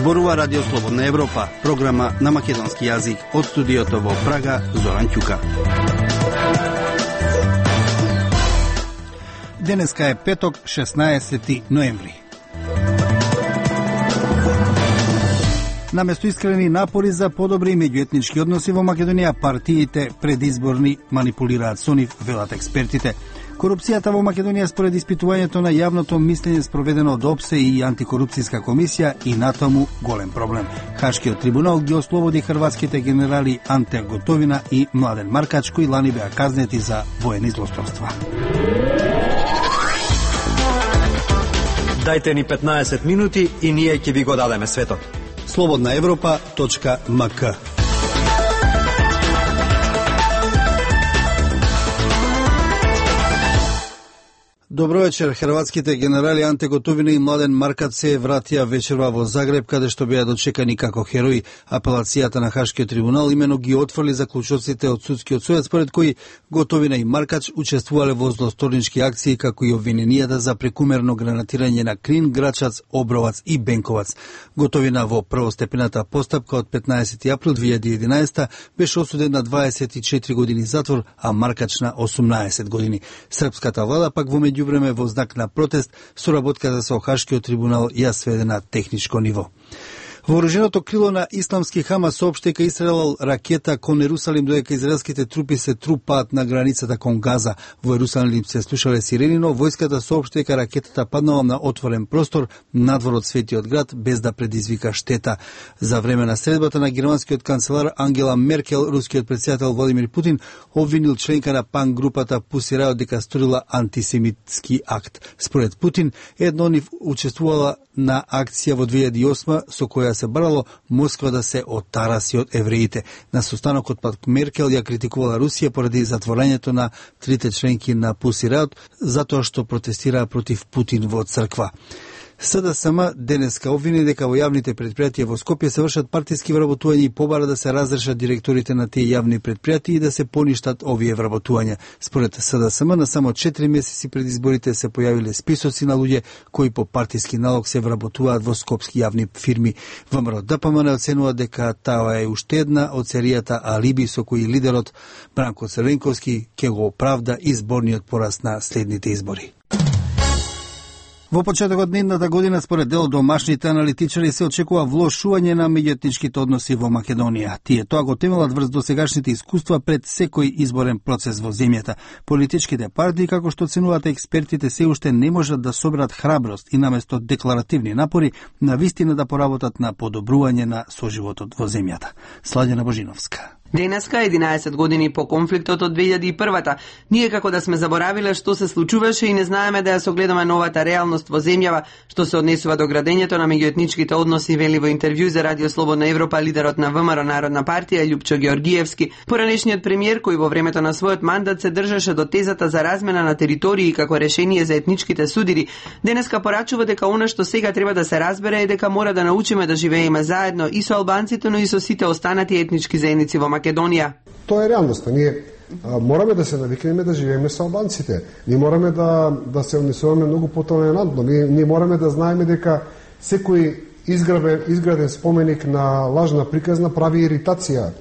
Зборува Радио Слободна Европа, програма на македонски јазик од студиото во Прага, Зоран Ќука. Денеска е петок, 16 ноември. Наместо искрени напори за подобри меѓуетнички односи во Македонија, партиите предизборни манипулираат со нив, велат експертите. Корупцијата во Македонија според испитувањето на јавното мислење спроведено од ОПСЕ и антикорупцијска комисија и натаму голем проблем. Хашкиот трибунал ги ослободи хрватските генерали Анте Готовина и Младен Маркач, кои лани беа казнети за воени злосторства. Дајте ни 15 минути и ние ќе ви го дадеме светот. slobodnaevropa.mk. Добро вечер. Хрватските генерали Анте Готовина и Младен Маркач се вратија вечерва во Загреб, каде што беа дочекани како херои. Апелацијата на Хашкиот трибунал имено ги отфрли заклучоците од судскиот совет, според кои Готовина и Маркач учествувале во злосторнички акции, како и обвиненијата за прекумерно гранатирање на Крин, Грачац, Обровац и Бенковац. Готовина во првостепената постапка од 15 април 2011 беше осуден на 24 години затвор, а Маркач на 18 години. Српската влада пак во време во знак на протест, соработката со Хашкиот трибунал ја сведе на техничко ниво. Вооруженото крило на исламски Хамас соопшти дека истрелал ракета кон Ерусалим, додека израелските трупи се трупаат на границата кон Газа. Во Ерусалим се слушале сирени, но војската соопшти дека ракетата паднала на отворен простор надвор од светиот град без да предизвика штета. За време на средбата на германскиот канцелар Ангела Меркел, рускиот претседател Владимир Путин обвинил членка на пан групата Pussy Riot дека сторила антисемитски акт. Според Путин, едно од нив учествувала на акција во 2008 со која се барало Москва да се отараси од евреите. На состанокот пак Меркел ја критикувала Русија поради затворањето на трите членки на Pussy Riot затоа што протестираа против Путин во црква. СДСМ денеска обвини дека во јавните предпријатија во Скопје се вршат партиски вработувања и побара да се разрешат директорите на тие јавни предпријатија и да се поништат овие вработувања. Според СДСМ, на само 4 месеци пред изборите се појавиле списоци на луѓе кои по партиски налог се вработуваат во скопски јавни фирми. ВМРО ДПМН оценува дека таа е уште една од серијата алиби со кои лидерот Бранко Црвенковски ќе го оправда изборниот пораз на следните избори. Во почетокот на едната година, според дел домашните аналитичари, се очекува влошување на меѓуетничките односи во Македонија. Тие тоа го темелат врз досегашните искуства пред секој изборен процес во земјата. Политичките партии, како што оценуваат експертите, се уште не можат да соберат храброст и наместо декларативни напори, навистина да поработат на подобрување на соживотот во земјата. Сладена Божиновска. Денеска, 11 години по конфликтот од 2001-та, ние како да сме заборавиле што се случуваше и не знаеме да ја согледаме новата реалност во земјава, што се однесува до градењето на меѓуетничките односи, вели во интервју за Радио Слободна Европа лидерот на ВМРО Народна партија Љупчо Георгиевски, поранешниот премиер кој во времето на својот мандат се држеше до тезата за размена на територии како решение за етничките судири. Денеска порачува дека она што сега треба да се разбере е дека мора да научиме да живееме заедно и со албанците, но и со сите останати етнички заедници во Македонија. Тоа е реалноста. Ние мораме да се навикнеме да живееме со албанците. Ние мораме да се однесуваме многу потолерантно. Ние мораме да знаеме дека секој изграден споменик на лажна приказна прави иритација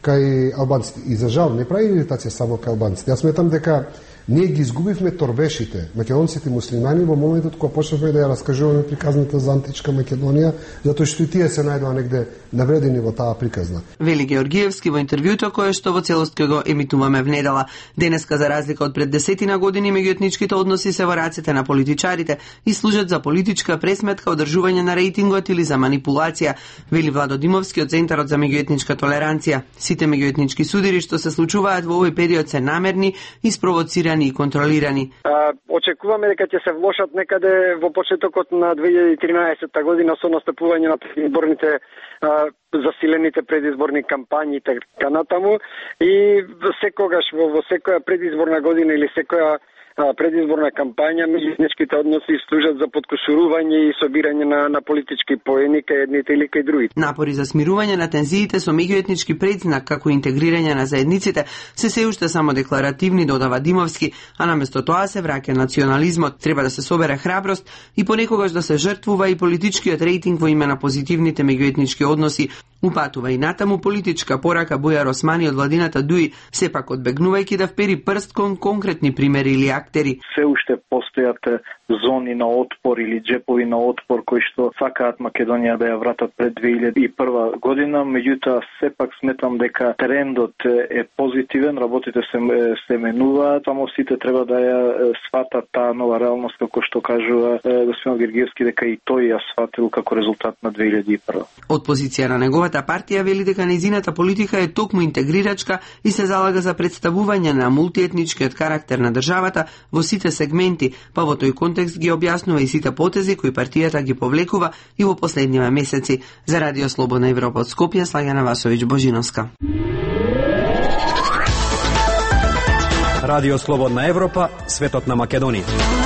кај албанците. И за жал не прави иритација само кај албанците. Јас сметам дека ние ги изгубивме торбешите, македонците муслимани, во моментот кога почнавме да ја раскажуваме приказната за античка Македонија, затоа што и тие се најдоа негде навредени во таа приказна. Вели Георгиевски во интервјуто кое што во целост ќе го емитуваме внедела. Денеска, за разлика од пред 10 години, меѓуетничките односи се во рацете на политичарите и служат за политичка пресметка, одржување на рейтингот или за манипулација, вели Владо Димовски од Центарот за меѓуетничка толеранција. Сите меѓуетнички судири што се случуваат во овој период се намерни и спровоцирани и контролирани. Очекуваме дека ќе се влошат некаде во почетокот на 2013 година со настапување на предизборните засилените предизборни кампањи така натаму и секогаш во секоја предизборна година или секоја предизборна кампања, меѓуетничките односи служат за подкошурување и собирање на политички поени кај едните или кај другите. Напори за смирување на тензиите со меѓуетнички предзнак како интегрирање на заедниците се уште само декларативни, додава Димовски, а наместо тоа се враќа национализмот. Треба да се собере храброст и понекогаш да се жртвува и политичкиот рейтинг во име на позитивните меѓуетнички односи. Упатува и натаму политичка порака Бујар Османи од владината ДУИ, сепак одбегнувајќи да впери прст кон конкретни примери или актери. Се уште постојат зони на отпор или джепови на отпор кои што сакаат Македонија да ја вратат пред 2001 година, меѓутоа сепак сметам дека трендот е позитивен, работите се менуваат, само сите треба да ја сватат таа нова реалност како што кажува господин Гергиевски, дека и тој ја сватил како резултат на 2001. Од позиција на неговата партија вели дека нејзината политика е токму интегрирачка и се залага за представување на мултиетничкиот карактер на државата во сите сегменти, па во тој контекст ги објаснува и сите потези кои партијата ги повлекува и во последниве месеци. За Радио Слободна Европа од Скопје, Слагена Васовиќ Божиновска. Радио Слободна Европа, светот на Македонија.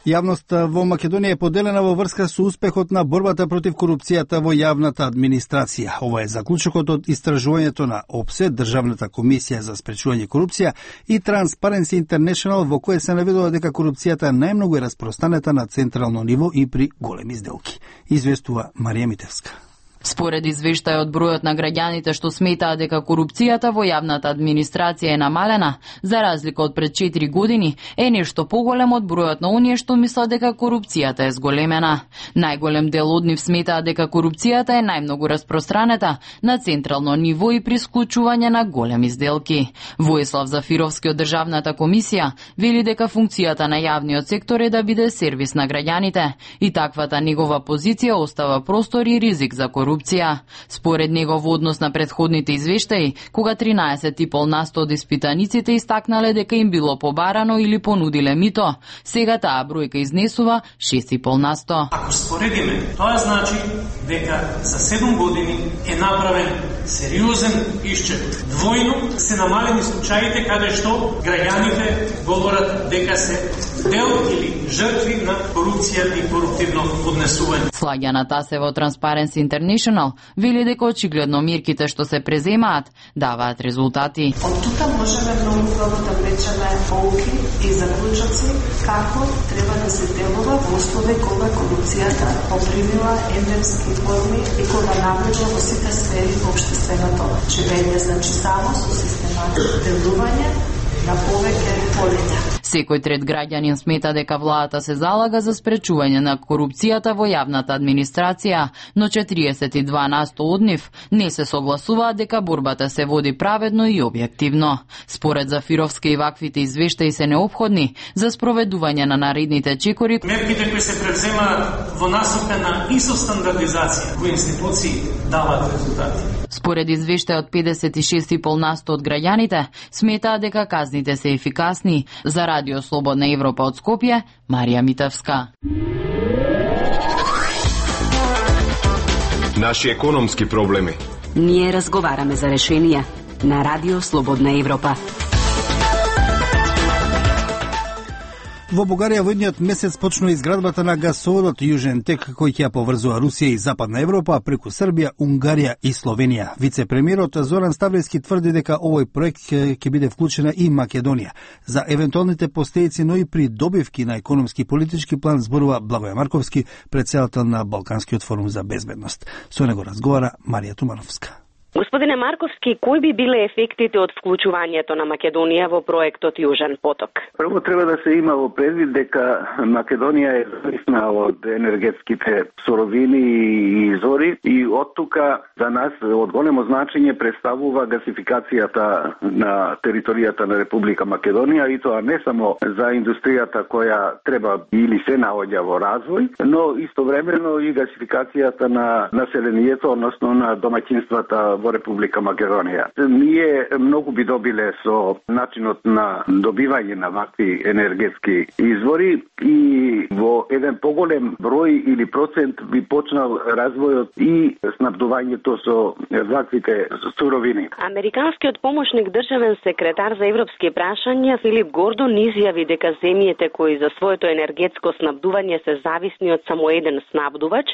Јавноста во Македонија е поделена во врска со успехот на борбата против корупцијата во јавната администрација. Ова е заклучокот од истражувањето на ОПСЕ, Државната комисија за спречување корупција, и Transparency International, во кое се наведува дека корупцијата најмногу е распространета на централно ниво и при големи сделки. Известува Марија Митевска. Според извештајот, бројот на граѓаните што сметаат дека корупцијата во јавната администрација е намалена, за разлика од пред 4 години, е нешто поголем од бројот на оние што мислат дека корупцијата е зголемена. Најголем дел од нив сметаат дека корупцијата е најмногу распространета на централно ниво и при склучување на големи сделки. Воислав Зафировски од Државната комисија вели дека функцијата на јавниот сектор е да биде сервис на граѓаните и таквата негова позиција остава простор и ризик за корупција. Според него во однос на претходните извештаи, кога 13,5% од испитаниците истакнале дека им било побарано или понудиле мито, сега таа бројка изнесува 6,5%. Ако споредиме, тоа значи дека за 7 години е направен сериозен исчет. Двојно се намалени случаите каде што граѓаните говорат дека се дел или жртви на корупција и коруптивно однесување. Слагјана Тасева од Transparency International вели дека очигледно мерките што се преземаат даваат резултати. Од тука можеме многу добро да влечеме полуки и заклучоци како треба да се делува во услови кога корупцијата попримила ендемски форми и кога навлегла во сите сфери во општественото живење, значи само со систематично делување на повеќе полиња. Секој трет граѓанин смета дека владата се залага за спречување на корупцијата во јавната администрација, но 42% од нив не се согласуваат дека борбата се води праведно и објективно. Според Зафировски и ваквите извештаи се неопходни за спроведување на наредните чекори. Мерките кои се превземаат во насока на ИСО стандардизација во институции даваат резултати. Според извештајот 56,5% од граѓаните сметаат дека казните се ефикасни. За Радио Слободна Европа од Скопје, Марија Митевска. Наши економски проблеми. Ние разговараме за решенија на Радио Слободна Европа. Во Бугарија во идниот месец почнува изградбата на гасоводот Јужен тек, кој ќе ја поврзува Русија и Западна Европа преку Србија, Унгарија и Словенија. Вице-премиерот Зоран Ставлевски тврди дека овој проект ќе биде вклучена и Македонија. За евентуалните последици, но и при добивки на економски и политички план зборува Благоје Марковски, претседател на Балканскиот форум за безбедност. Со него разговара Марија Тумановска. Господине Марковски, кои би биле ефектите од вклучувањето на Македонија во проектот Јужен поток? Прво треба да се има во предвид дека Македонија е зависна од енергетските суровини и изори и од тука за нас од големо значење представува гасификацијата на територијата на Република Македонија, и тоа не само за индустријата која треба или се наоѓа во развој, но истовремено и гасификацијата на населението, односно на домаќинствата во Република Македонија. Ние многу би добиле со начинот на добивање на вакви енергетски извори и во еден поголем број или процент би почнал развојот и снабдувањето со ваквите суровини. Американскиот помошник државен секретар за европски прашања Филип Гордон изјави дека земјите кои за своето енергетско снабдување се зависни од само еден снабдувач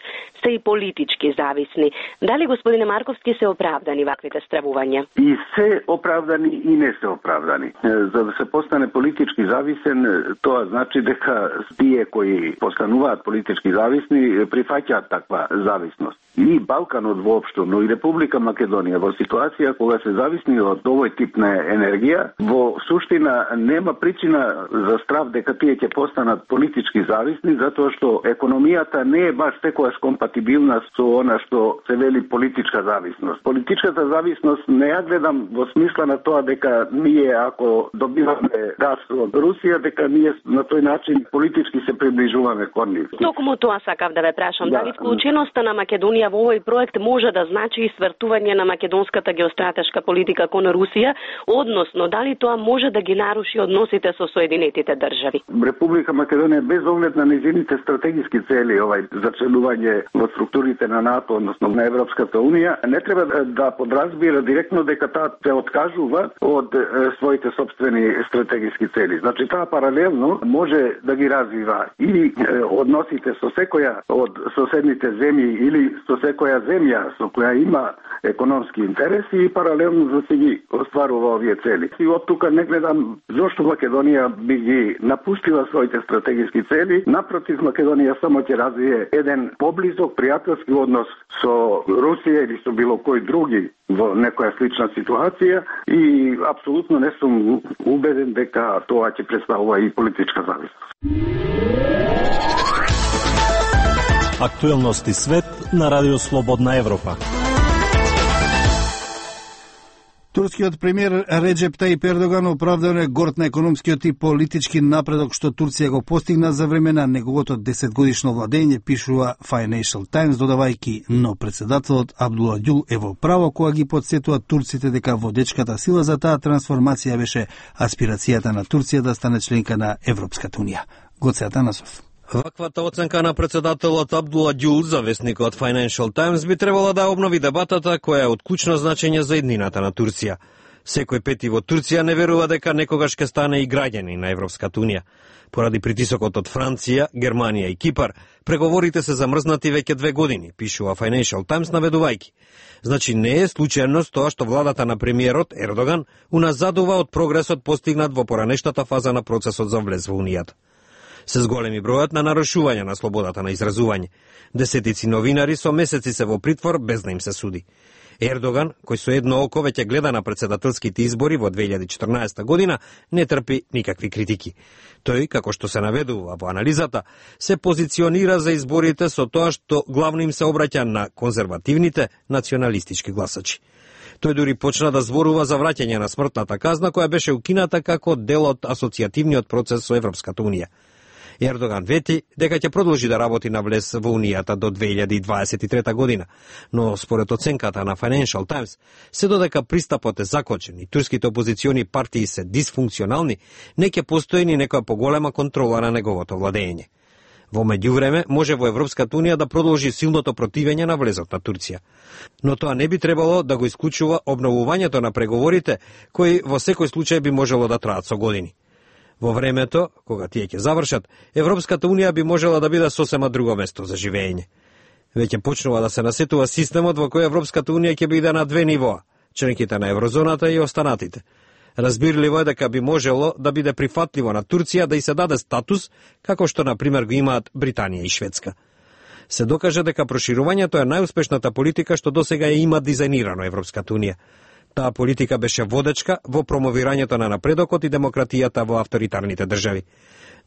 се и политички зависни. Дали, господине Марковски, се оправдани ваквите стравувања? И се оправдани и не се оправдани. За да се постане политички зависен, тоа значи дека тие кои постануваат политички зависни прифаќаат таква зависност. И Балканот воопшто, но и Република Македонија во ситуација кога се зависни од овој тип на енергија, во суштина нема причина за страв дека тие ќе постанат политички зависни, затоа што економијата не е баш секогаш компатибилна со она што се вели политичка зависност. Политичката зависност не ја гледам во смисла на тоа дека ние ако добиваме газ од Русија, дека ние на тој начин политички се приближуваме кон нив. Токму тоа сакав да ве прашам, дали вклученоста на Македонија во овој проект може да значи и свртување на македонската геостратешка политика кон Русија, односно дали тоа може да ги наруши односите со Соединетите држави? Република Македонија без оглед на незините стратегиски цели, за членување во структурите на НАТО, односно на Европската унија, не треба да подразбира директно дека таа се откажува од своите сопствени стратегиски цели. Значи таа паралелно може да ги развива и односите со секоја од соседните земји или со секоја земја со која има економски интереси и паралелно да се ги остварува овие цели. И од тука не гледам зошто Македонија би ги напустила своите стратегиски цели. Напротив, Македонија само ќе развие еден поблизок пријателски однос со Русија или со било кој други во некоја слична ситуација и апсолутно не сум убеден дека тоа ќе представува и политичка зависност. Актуелности свет на Радио Слободна Европа. Турскиот премиер Реджеп Таип Ердоган оправдано е горд на економскиот и политички напредок што Турција го постигна за време на неговото 10-годишно владење, пишува Financial Times, додавајќи, но председателот Абдула Гюл е во право кога ги подсетува турците дека водечката сила за таа трансформација беше аспирацијата на Турција да стане членка на Европската унија. Гоце Атанасов. Ваквата оценка на председателот Абдула Гюл за весникот Financial Times би требала да обнови дебатата која е од клучно значење за еднината на Турција. Секој пети во Турција не верува дека некогаш ќе стане и граѓани на Европската унија. Поради притисокот од Франција, Германија и Кипар, преговорите се замрзнати веќе 2 години, пишува Financial Times наведувајќи. Значи не е случајност тоа што владата на премиерот Ердоган уназадува од прогресот постигнат во поранештата фаза на процесот за влез во Унијата. Се зголеми бројот на нарушување на слободата на изразување. Десетици новинари со месеци се во притвор без да им се суди. Ердоган, кој со едно око веќе гледа на председателските избори во 2014 година, не трпи никакви критики. Тој, како што се наведува во анализата, се позиционира за изборите со тоа што главно им се обраќа на конзервативните националистички гласачи. Тој дури почна да зборува за враќање на смртната казна која беше укината како дел од асоцијативниот процес со Европската унија. Ердоган вети дека ќе продолжи да работи на влез во Унијата до 2023 година, но според оценката на Financial Times, се додека пристапот е закочен и турските опозициони партии се дисфункционални, не ќе постои ни некоја поголема контрола на неговото владење. Во меѓувреме, може во Европската унија да продолжи силното противење на влезот на Турција. Но тоа не би требало да го исклучува обновувањето на преговорите, кои во секој случај би можело да траат со години. Во времето, кога тие ќе завршат, Европската унија би можела да биде сосема друго место за живење. Веќе почнува да се насетува системот во кој Европската унија ќе биде на 2 нивоа, членките на еврозоната и останатите. Разбирливо е дека би можело да биде прифатливо на Турција да и се даде статус, како што, например, го имаат Британија и Шведска. Се докаже дека проширувањето е најуспешната политика што досега ја има дизајнирано Европската унија. Таа политика беше водечка во промовирањето на напредокот и демократијата во авторитарните држави.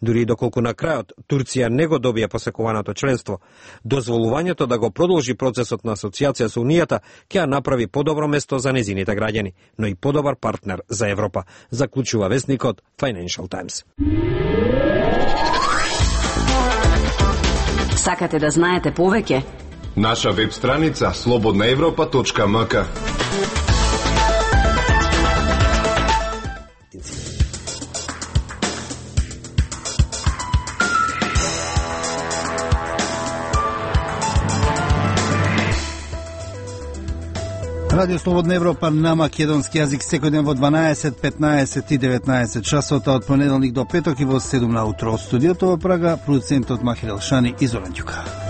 Дури и доколку на крајот Турција не го добија посекуваното членство, дозволувањето да го продолжи процесот на асоциација со Унијата ќе ја направи подобро место за незините граѓани, но и подобар партнер за Европа, заклучува весникот Financial Times. Сакате да знаете повеќе? Наша веб страница slobodnaevropa.mk. Радио Слободна Европа на македонски јазик секој ден во 12, 15 и 19 часот од понеделник до петок и во 7 на утро од студиото во Прага, продуцентот Махир Елшани и Зоран Ѓука.